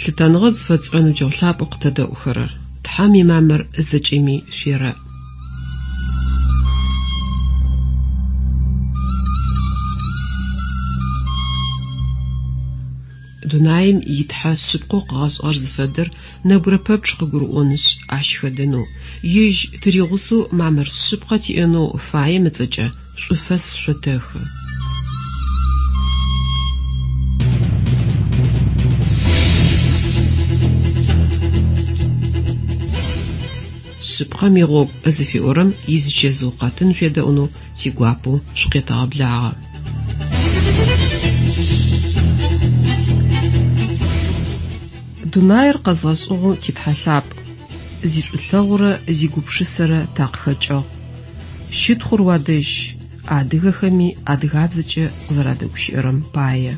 Лъытэныгъэ зыфэтшӏырэ ныбджэгъу лъапӏэу къытэдэӏухэрэр! Тхьэм имамыр зэкӏэми шъуерэӏ. Дунаим и Тхьэ шъыпкъэу къыгъэшӏыгъэр зыфэдэр нэбгырэ пэпчъ къыгурыӏонышъ, ащ хэдэнэу, Ежь тыригъусэу мамыр шъыпкъэ тиӏэнэу фаем ыцӏэкӏэ шӏуфэс шъотэхы. Шъыпкъэм игъогу зыфиӏорэм изичэзыу къэтын шъуедэӏунэу тигуапэу шъукъетэгъэблагъэ. Дунаир къэзгъэшӏыгъэу ти Тхьэ лъапӏ, зишӏулъэгъурэ зигупшысэрэ такъыхэкӏыгъ. Щытхъур уадэжь, адыгэхэми адыгабзэкӏэ къызэрадэгущыӏэрэм пае.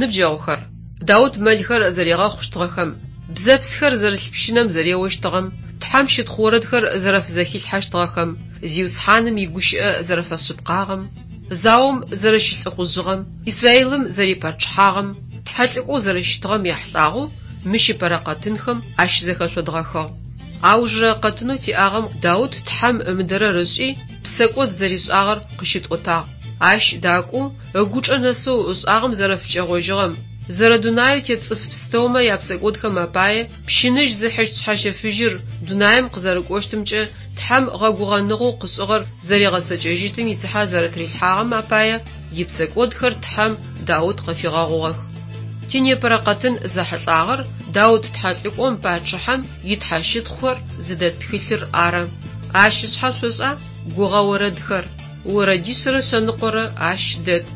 Ныбджэгъухэр, Даут мэлхэр зэригъэхъущтыгъэхэм, бзэпсхэр зэрылъ пщынэм зэреощтыгъэм, Тхьэм щытхъу орэдхэр зэрэфызэхилъхьэщтыгъэхэм, Зиусхьаным игущыӏэ зэрэфэшъыпкъагъэм, заом зэрэщылӏыхъужъыгъэм, Израилым зэрипачъыхьагъэм, тхьэлӏыкӏоу зэрэщытыгъэм яхьылӏагъэу мыщ ыпэрэ къэтынхэм ащызэхэшъодгъэхыгъ. Аужырэ къэтынэу тиӏагъэм Даут Тхьэм ымыдэрэр ышӏи, псэкӏод зэришӏагъэр къыщытӏотагъ. Ащ дакӏоу, ыгучӏэ нэсэу ышӏагъэм зэрэфыкӏэгъожьыгъэм, зэрэдунаеу тет цӏыф пстэумэ япсэкӏодхэм апае пщыныжь зыхьыщт Шъхьэщэфыжьыр дунаим къызэрыкӏощтымкӏэ Тхьэм гъэгугъэныгъэу къышӏыгъэр зэригъэцэкӏэжьыщтым ицыхьэ зэрэтырилъхьагъэм апае ипсэкӏодхэр Тхьэм Даут къыфигъэгъугъэх. Тинепэрэ къэтын зэхьылӏагъэр Даут тхьэлӏыкӏом пачъыхьэм итхьэщытхъухэр зыдэт тхылъыр ары. Ащ ышъхьэ шъошӏа? Гугъэ орэдхэр. Орэдишъэрэ шъэныкъорэ ащ дэт.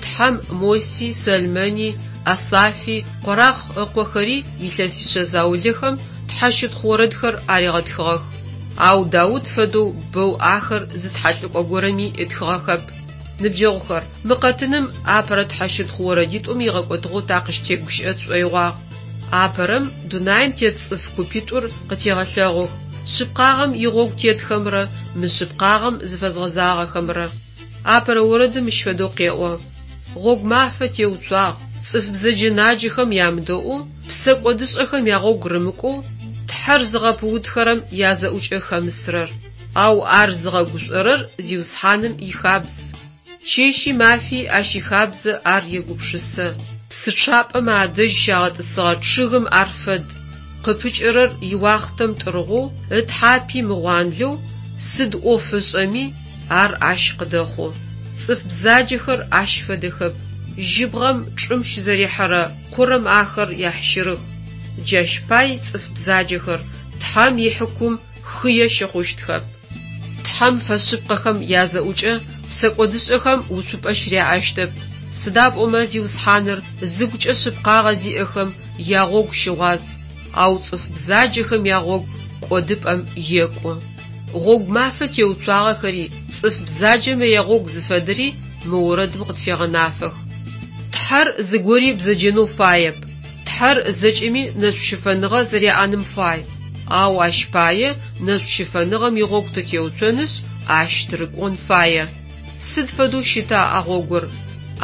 Тхьэм Моси, Сэлмэни, Асафи, Къорахъ ыкъохэри илъэсишъэ заулэхэм тхьэщытхъу орэдхэр аригъэтхыгъэх. Ау Даут фэдэу бэу ахэр зы тхьэлӏыкӏо горэми ытхыгъэхэп. Ныбджэгъухэр, мы къэтыным апэрэ тхьэщытхъу орэдитӏум игъэкӏотыгъэу такъыщытегущыӏэ тшӏоигъуагъ. Апэрэм дунаим тет цӏыф купитӏур къытегъэлъэгъух, шъыпкъагъэм игъогу тетхэмрэ мышъыпкъагъэм зыфэзгъэзагъэхэмрэ. Апэрэ орэдым мыщ фэдэу къеӏо, Гъогу мафэ теуцуагъ, цӏыф бзэджэ-наджэхэм ямыдэӏоу, псэкӏодышӏэхэм ягъогу рымыкӏоу, Тхьэр зыгъэпыутхэрэм язэӏукӏэ хэмысрэр. Ау ар зыгъэгушӏорэр Зиусхьаным ихабз. Чэщи мафи ащ ихабзэ ар егупшысэ. Псы чъапӏэмэ адэжь щагъэтӏысыгъэ чъыгым ар фэд. Къыпыкӏэрэр иуахътэм тӏыргъоу, ытхьапи мыгъуанлэу, сыд ӏоф ышӏэми, ар ащ къыдэхъу. Цӏыф бзаджэхэр ащ фэдэхэп. Жьыбгъэм чӏым щызэрихьэрэ къурэм ахэр яхьщырых. Джащ пай цӏыф бзаджэхэр Тхьэм ихьыкум хые щыхъущтхэп. Тхьэм фэшъыпкъэхэм язэӏукӏэ псэкӏодышӏэхэм уцупӏэ щыряӏэщтэп, сыда пӏомэ Зиусхьаныр зыгукӏэ шъыпкъагъэ зиӏэхэм ягъогу щыгъуаз, ау цӏыф бзаджэхэм ягъогу кӏодыпӏэм екӏу. Гъогу мафэ теуцуагъэхэри цӏыф бзаджэмэ ягъогу зыфэдэри мы орэдым къытфегъэнафэх. Тхьэр зыгори бзэджэнэу фаеп. Тхьэр зэкӏэми нэшӏущыфэныгъэ зэряӏэным фай. Ау ащ пае нэшӏущыфэныгъэм игъогу тытеуцонышъ, ащ тырыкӏон фае. Сыд фэдэу щыта а гъогур?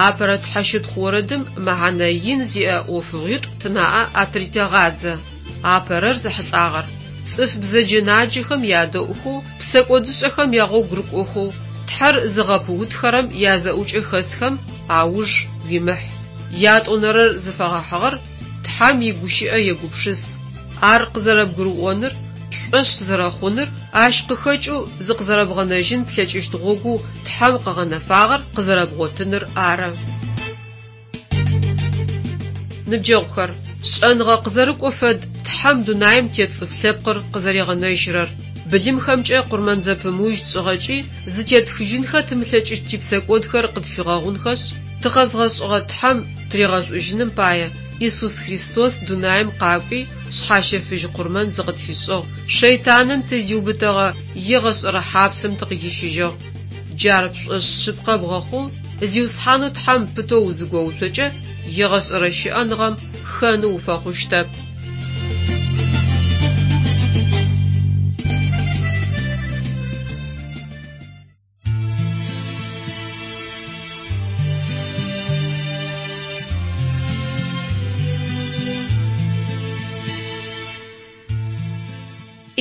Апэрэ тхьэщытхъу орэдым мэхьанэ ин зиӏэ ӏофыгъуитӏу тынаӏэ атыритэгъадзэ. Апэрэр зэхьылӏагъэр, цӏыф бзэджэ-наджэхэм ядэӏухэу, псэкӏодышӏэхэм ягъогу рыкӏохэу, Тхьэр зыгъэпыутхэрэм язэӏукӏэ хэсхэм ауж уимыхь. Ятӏонэрэр зыфэгъэхьыгъэр Тхьэм игущыӏэ егупшыс. Ар къызэрэбгурыӏоныр, пшӏошъ зэрэхъуныр, ащ къыхэкӏэу зыкъызэрэбгъэнэжьын плъэкӏыщт гъогоу Тхьэм къыгъэнэфагъэр къызэрэбгъотыныр ары. Ныбджэгъухэр, шӏэныгъэ къызэрыкӏо фэд Тхьэм дунаим тет цӏыф лъэпкъыр къызэригъэнэжьырэр. Былымхэмкӏэ къурмэн зэпымыужь тшӏыгъэкӏи, зытетхыжьынхэ тымылъэкӏыщт типсэкӏодхэр къытфигъэгъунхэшъ, тыкъэзгъэшӏыгъэ Тхьэм тыригъэшӏужьыным пае, Исус Христос дунаим къакӏуи, шъхьащэфыжь къурмэн зыкъытфишӏыгъ, шэйтаным тызиубытэгъэ егъэшӏэрэ хьапсым тыкъыхищыжьыгъ. Джар пшӏошъ шъыпкъэ бгъэхъоу, Зиусхьанэу Тхьэм пытэу узыгоуцокӏэ, егъэшӏэрэ щыӏэныгъэм хэны уфэхъущтэп.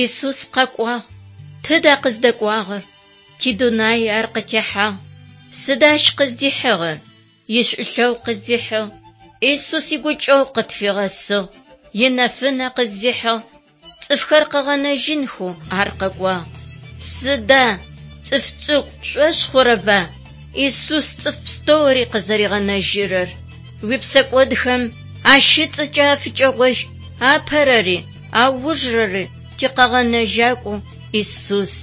Исус къэкӏуагъ. Тыда къыздэкӏуагъэр? Тидунай ар къытехьагъ. Сыда ащ къыздихьыгъэр? Ишӏулъэгъу къыздихьыгъ. Исус игукӏэгъу къытфигъэсыгъ. Инэфынэ къыздихьыгъ. Цӏыфхэр къыгъэнэжьынхэу ар къэкӏуагъ. Сыда, цӏыф цӏыкӏу, пшӏошъ хъурэба Исус цӏыф пстэури къызэригъэнэжьырэр? Уипсэкӏодхэм ащ ыцӏэкӏэ афыкӏэгъожь апэрэри, аужырэри тикъэгъэнэжьакӏоу Исус.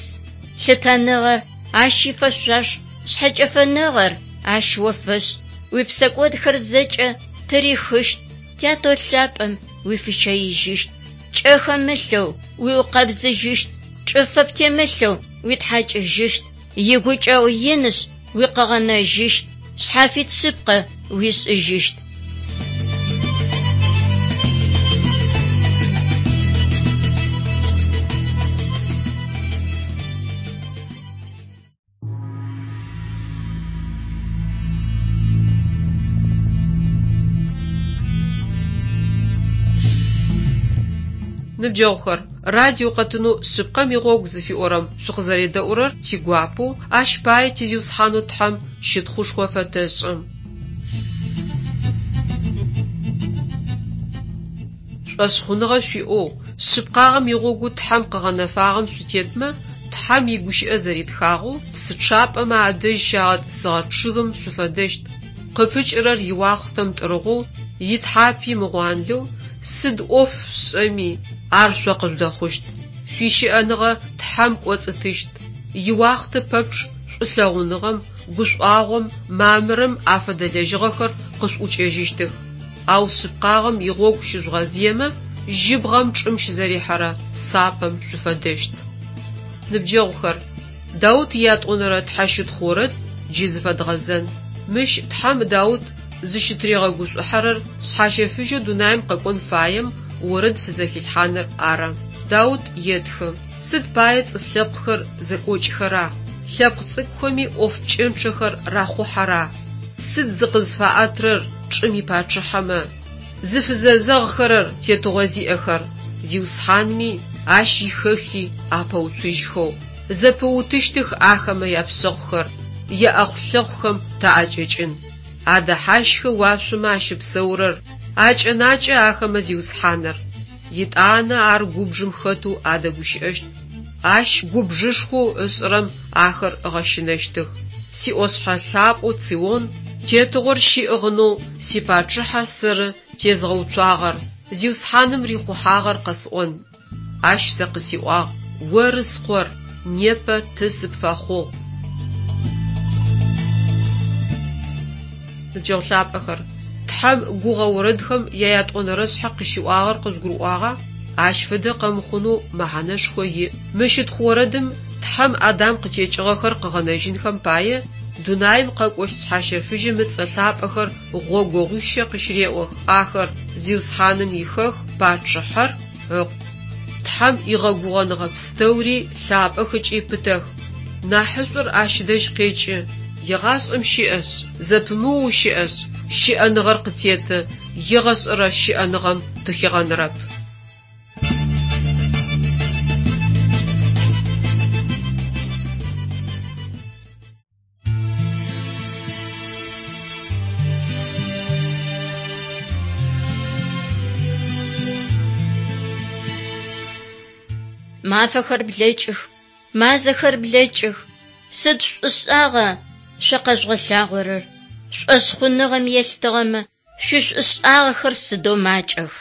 Лъытэныгъэр ащ ифэшъуаш, шъхьэкӏэфэныгъэр ащ о фэшӏ. Уипсэкӏодхэр зэкӏэ тырихыщт, Тятэу лъапӏэм уифыщэижьыщт, пкӏэ хэмылъэу уиукъэбзыжьыщт, чӏыфэ птемылъэу уитхьакӏыжьыщт, игукӏэгъу инышъ уикъыгъэнэжьыщт, шъхьафит шъыпкъэ уишӏыжьыщт. Ныбджэгъухэр, радио къэтынэу Шъыпкъэм игъогу зыфиӏорэм шъукъызэредэӏурэр тигуапэу, ащ пае ти Зиусхьанэу Тхьэм щытхъушхо фэтэшӏы. Шӏошъхъуныгъэ шъуиӏэу, шъыпкъагъэм игъогоу Тхьэм къыгъэнэфагъэм шъутетмэ, Тхьэм игущыӏэ зэритхагъэу, псы чъапӏэмэ адэжь щагъэтӏысыгъэ чъыгым шъуфэдэщт, къыпыкӏырэр иуахътэм тӏыргъоу, итхьапи мыгъуанлэу, сыд ӏоф шъушӏэми, ар шъо къыжъудэхъущт. Шъуищыӏэныгъэ Тхьэм кӏоцӏытыщт. Иуахътэ пэпчъ шӏулъэгъуныгъэм, гушӏуагъом, мамырым афэдэ лэжьыгъэхэр къышъуӏукӏэжьыщтых. Ау шъыпкъагъэм игъогу щыжъугъэзыемэ, жьыбгъэм чӏым щызэрихьэрэ сапэм шъуфэдэщт. Ныбджэгъухэр, Даут иятӏонэрэ тхьэщытхъу орэд джы зыфэдгъэзэн. Мыщ Тхьэм Даут зыщытыригъэгушӏухьэрэр шъхьащэфыжьэу дунаим къэкӏон фаем орэд фызэхилъхьаныр ары. Даут етхы, Сыд пае цӏыф лъэпкъхэр зэкӏокӏхэра, лъэпкъ цӏыкӏухэми ӏоф пкӏэнчъэхэр рахъухьэра? Сыд зыкъызфаӏэтрэр чӏым ипачъыхьэмэ, зыфызэзэгъхэрэр тетыгъо зиӏэхэр, Зиусхьанми, Ащ ихэхи апэуцужьхэу? Зэпыутыщтых ахэмэ япшъэхъухэр, яӏэхъу-лъэхъухэм таӏэкӏэкӏын. Адэхьащхы уашъомэ ащыпсэурэр, акӏэнакӏэ ахэмэ Зиусхьаныр. Етӏанэ ар губжым хэтэу адэгущыӏэщт, Ащ губжышхоу ышӏырэм ахэр ыгъэщынэщтых. Сиӏошъхьэ лъапӏэу Цион тетыгъор щиӏыгъынэу сипачъыхьэ сэры тезгъэуцуагъэр, Зиусхьаным рихъухьагъэр къэсӏон. Ащ сэ къысиӏуагъ, Оры Скъор, непэ Ты сыпфэхъугъ. Ныбджэгъу лъапӏэхэр, Тхьэм гугъэ орэдхэм яятӏонэрэшъхьэ къыщиӏуагъэр къыжъугурыӏуагъа? Ащ фэдэ къэмыхъунэу мэхьанэшхо иӏ. Мы щытхъу орэдым Тхьэм Адам къытекӏыгъэхэр къыгъэнэжьынхэм пае дунаим къэкӏощт Шъхьащэфыжьым ыцӏэ лъапӏэхэр гъогогъуищэ къыщыреӏох, ахэр, Зиусхьаным ихэх, Пачъыхьэр, Ыкъу. Тхьэм игъэгугъэныгъэ пстэури лъапӏэх ыкӏи пытэх. Нахьышӏур Ащ дэжь къекӏы, егъашӏэм щыӏэшъ, зэпымыоу щыӏэшъ, щыӏэныгъэр къытеты, егъэшӏэрэ щыӏэныгъэм тыхигъэнырэп. Мафэхэр блэкӏых, мазэхэр блэкӏых. Сыд шӏушӏагъа шъо къэжъугъэлъагъорэр? Шӏошъхъуныгъэм елъытыгъэмэ, шъуишӏушӏагъэхэр сыдэу макӏэх.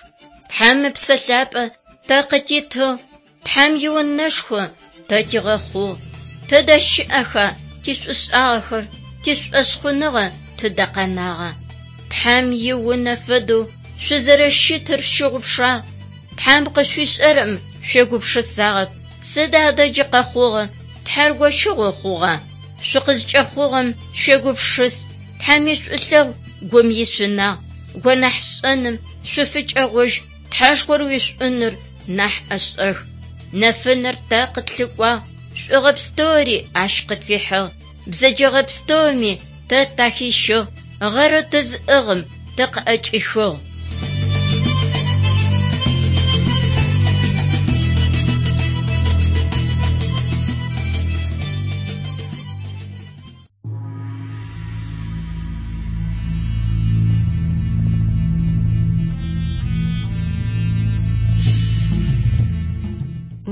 Тхьэм Ыпсэ Лъапӏэ тэ къытитыгъ, Тхьэм иунэшхо тэ тигъэхъугъ. Тыдэ щыӏэха тишӏушӏагъэхэр, тишӏошъхъуныгъэ тыдэ къэнагъа? Тхьэм иунэ фэдэу шъузэрэщытыр шъущыгъупшагъ. Тхьэм къышъуишӏэрэм шъуегупшысагъэп. Сыд адэ джы къэхъугъэр? Тхьэр гощыгъо хъугъа? Шъукъызкӏэхъугъэм шъуегупшыс. Тхьэм ишӏулъэгъу гум ишъунагъ. Гонахьшӏэным шъуфыкӏэгъожь, Тхьэшхор уишӏуныр нахь ӏэшӏэх. Нэфынэр тэ къытлъыкӏуагъ, шӏугъэ пстэури ащ къытфихьыгъ. Бзэджэгъэ пстэуми тэ тахищыгъ, гъэрэу тызыӏыгъым тыкъыӏэкӏихыгъ.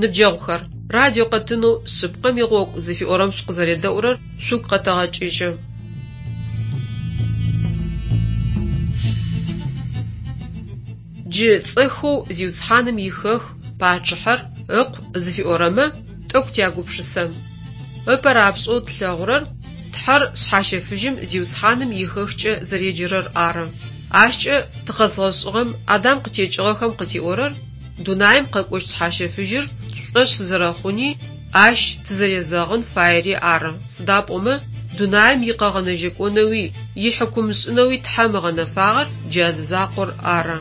Ныбджэгъухэр, радио къэтынэу Шъыпкъэм игъогу зыфиӏорэм шъукъызэредэӏурэр шъугу къэтэгъэкӏыжьы. Джы цӏэхэу «Зиусхьаным ихэку», «Пачъыхьэр ыкъу» зыфиӏорэмэ тӏэкӏу тягупшысэн. Ыпэ рапшӏэу тлъэгъурэр Тхьэр Шъхьащэфыжьым Зиусхьаным ихэкукӏэ зэреджэрэр ары. Ащкӏэ тыкъэзгъэшӏыгъэм Адам къытекӏыгъэхэм къытиӏорэр дунаим къэкӏощт Шъхьащэфыжьыр тшӏошъ зэрэхъуни, ащ тызэрезэгъын фаери ары. Сыда пӏомэ дунаим икъэгъэнэжьэкӏонэуи, ихьыкумышӏынэуи Тхьэм ыгъэнэфагъэр джа зы закъор ары.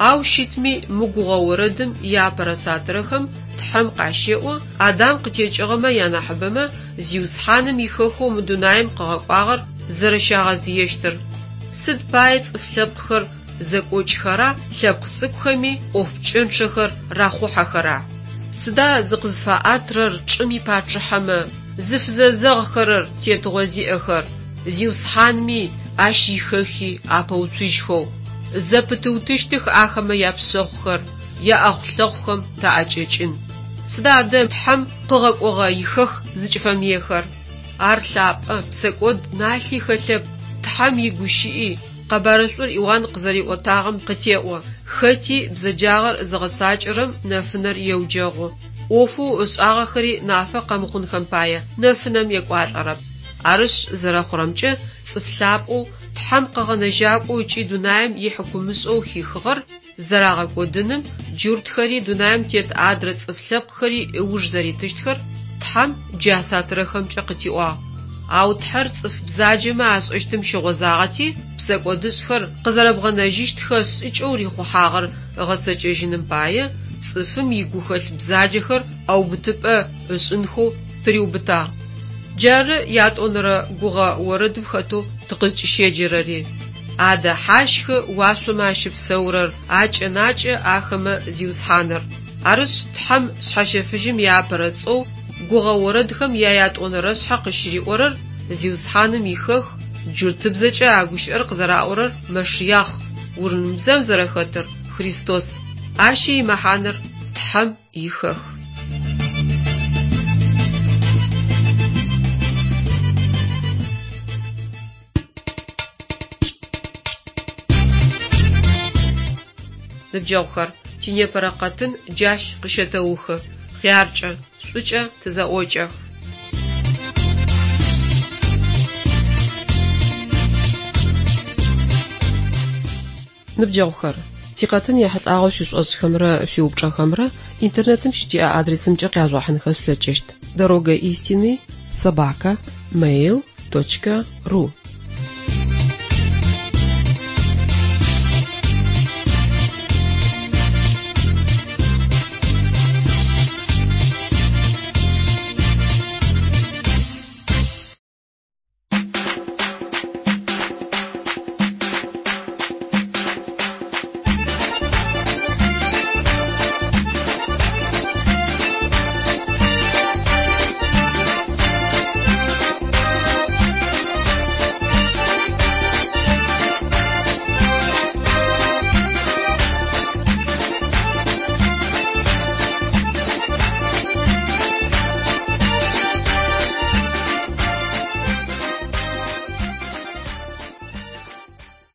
Ау щытми мы гугъэ орэдым иапэрэ сатырэхэм Тхьэм къащеӏо, Адам къытекӏыгъэмэ янахьыбэмэ Зиусхьаным ихэкоу мы дунаим къыгъэкӏуагъэр зэрэщагъэзыещтыр. Сыд пае цӏыф лъэпкъхэр зэкӏокӏхэра, лъэпкъ цӏыкӏухэми ӏоф пкӏэнчъэхэр рахъухьэхэра? Сыда зыкъызфаӏатрэр чӏым ипачъыхьэмэ, зыфызэзэгъхэрэр тетыгъо зиӏэхэр, Зиусхьанми ащ ихэки апэуцужьхэу? Зэпытыутыщтых ахэмэ япшъэхъухэр, яӏэхъу-лъэхъухэм таӏэкӏэкӏын. Сыда адэ Тхьэм къыгъэкӏогъэ ихэку зыкӏыфэмыехэр? Ар лъапӏэ, псэкӏод налъи хэлъэп, Тхьэм игущыӏи, къэбарышӏур Иуан къызэриӏотагъэм къытеӏо, хэти бзэджагъэр зыгъэцакӏэрэм нэфынэр еуджэгъу, ӏофэу ышӏагъэхэри нафэ къэмыхъунхэм пае нэфынэм екӏуалӏэрэп. Арышъ, зэрэхъурэмкӏэ, цӏыф лъапӏэу, Тхьэм къэгъэнэжьакӏоу ыкӏи дунаим ихьыкумышӏэу хихыгъэр зэрагъэкӏодыным джуртхэри дунаим тет адрэ цӏыф лъэпкъхэри ыуж зэритыщтхэр Тхьэм джа сатырэхэмкӏэ къытиӏуагъ. Ау Тхьэр цӏыф бзаджэмэ ашӏэщтым щыгъозагъэти, псэкӏодышӏхэр къызэрэбгъэнэжьыщтхэ шӏыкӏэу рихъухьагъэр ыгъэцэкӏэжьыным пае, цӏыфым игухэлъ бзаджэхэр ӏэубытыпӏэ ышӏынхэу тыриубытагъ. Джары ятӏонэрэ гугъэ орэдым хэтэу тыкъызкӏыщеджэрэри. Адэхьащхы уашъомэ ащыпсэурэр, акӏэнакӏэ ахэмэ Зиусхьаныр. Арышъ, Тхьэм Шъхьэщэфыжьым иапэрэ цӏэу гугъэ орэдхэм яятӏонэрэшъхьэ къыщыриӏорэр Зиусхьаным ихэку, джуртыбзэкӏэ а гущыӏэр къызэраӏорэр Мэшиахъ, урымыбзэм зэрэхэтыр Христос. Ащи имэхьанэр Тхьэм ихэку. Ныбджэгъухэр, тинепэрэ къэтын джащ къыщэтэухы. Хъяркӏэ, шӏукӏэ тызэӏокӏэх. Ныбджэгъухэр, тикъэтын ехьылӏагъэу шъуишӏошӏхэмрэ шъуиупчӏэхэмрэ интернетым щытиӏэ адресымкӏэ къяжъугъэхьынхэ шъулъэкӏыщт: дорога истины собака mail точка ru.